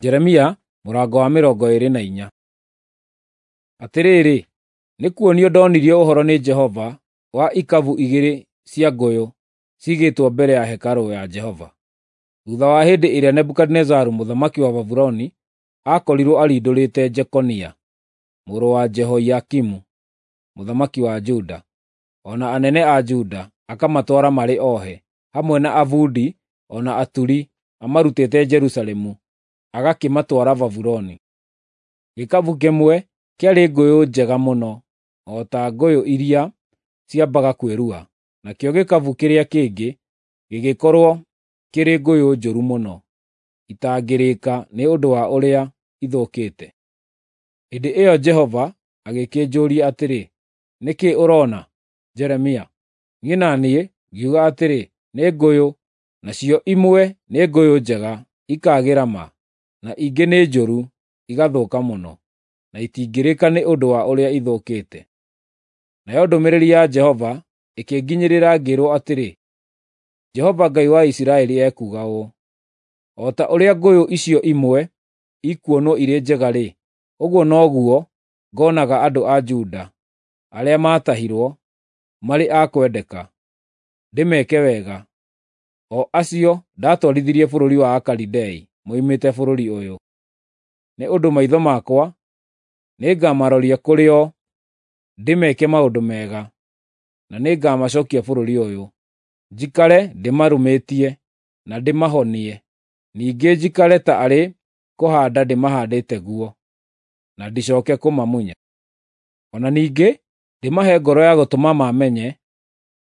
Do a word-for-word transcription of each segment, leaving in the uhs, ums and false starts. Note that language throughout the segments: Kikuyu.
Jeremia mũrango wa mĩrongo ĩĩrĩ na inya. Atĩrĩrĩ, nĩkuonio ndonirio ũhoro nĩ Jehova wa ikabu igĩrĩ cia ngũyũ ciigĩtwo mbere ya hekarũ ya Jehova, thuutha wa hĩndĩ ĩrĩa Nebukadinezaru mũthamaki wa Babuloni aakorirwo arindũrĩte Jekonia mũrũ wa Jehoiakimu mũthamaki wa Juda, o na anene a Juda, akamatwara marĩ ohe, hamwe na abundi o na aturi, amarutĩte Jerusalemu agakĩmatwara Babuloni. Gĩkabũ kĩmwe kĩarĩ ngũyũ njega mũno, o ta ngũyũ iria ciambaga kwĩrua, nakĩo gĩkabũ kĩrĩa kĩngĩ gĩgĩkorwo kĩrĩ ngũyũ njũru mũno, itangĩrĩĩka nĩ ũndũ wa ũrĩa ithũkĩte. Hĩndĩ ĩyo Jehova agĩkĩnjũũria atĩrĩ, “Nĩ kĩĩ ũroona, Jeremia?” Niĩ na niĩ ngiuga atĩrĩ, “Nĩ ngũyũ, nacio imwe nĩ ngũyũ njega, ikaagĩra ma, na ingĩ nĩ njũru, igathũka mũno, na itingĩrĩĩka nĩ ũndũ wa ũrĩa ithũkĩte.” Nayo ndũmĩrĩri ya Jehova ĩkĩnginyĩrĩra ngĩĩrwo atĩrĩ, “Jehova Ngai wa Isiraeli ekuuga ũũ: O ta ũrĩa ngũyũ icio imwe ikuonwo irĩ njega-rĩ, ũguo noguo ngoonaga andũ a Juda arĩa maatahirwo marĩ a kwendeka, ndĩmeke wega, o acio ndatwarithirie bũrũri wa Akalidei moimĩte bũrũri ũyũ. Nĩ ũndũ maitho makwa nĩngamaroria kũrĩ o ndĩmeke maũndũ mega, na nĩngamacookia bũrũri ũyũ, njikare ndĩmarũmĩtie na ndĩmahonie, ningĩ njikare ta arĩ kũhaanda ndĩmahaandĩte guo, na ndicooke kũmamunya. O na ningĩ ndĩmahe ngoro ya gũtũma maamenye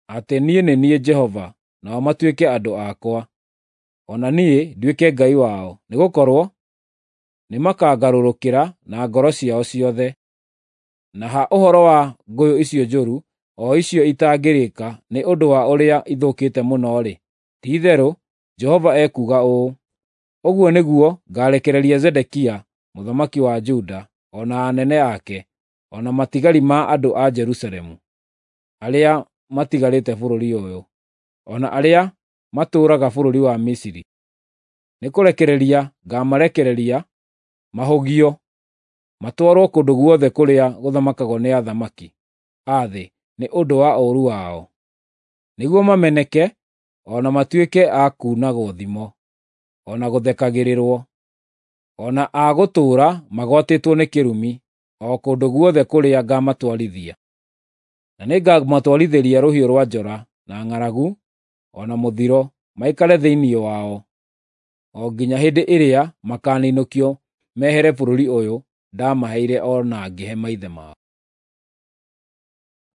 atĩ niĩ nĩ niĩ Jehova, nao matuĩke andũ akwa, o na niĩ nduĩke Ngai wao, nĩgũkorwo nĩmakangarũrũkĩra na ngoro ciao ciothe. Na ha ũhoro wa ngũyũ icio njũru, o icio itangĩrĩĩka nĩ ũndũ wa ũrĩa ithũkĩte mũno-rĩ, ti-itherũ Jehova ekuuga ũũ: Ũguo nĩguo ngaarekereria Zedekia mũthamaki wa Juda, o na anene ake, o na matigari ma andũ a Jerusalemu arĩa matigarĩte bũrũri ũyũ, o na arĩa matũũraga bũrũri wa Misiri. Nĩkũrekereria ngaamarekereria mahũgio, matwarwo kũndũ guothe kũrĩa gũthamakagwo nĩ athamaki a thĩ nĩ ũndũ wa ũũru wao, nĩguo mameneke o na matuĩke a kuunagwo thimo, o na gũthekagĩrĩrwo, o na a gũtũũra magwatĩtwo nĩ kĩrumi o kũndũ guothe kũrĩa ngaamatwarithia. Na nĩngamatwarithĩria rũhiũ rwa njora, na ng'aragu, o na mũthiro, maikare thĩinĩ wao, o nginya hĩndĩ ĩrĩa makaaninũkio mehere bũrũri ũyũ ndamaheire o na ngĩhe maithe mao.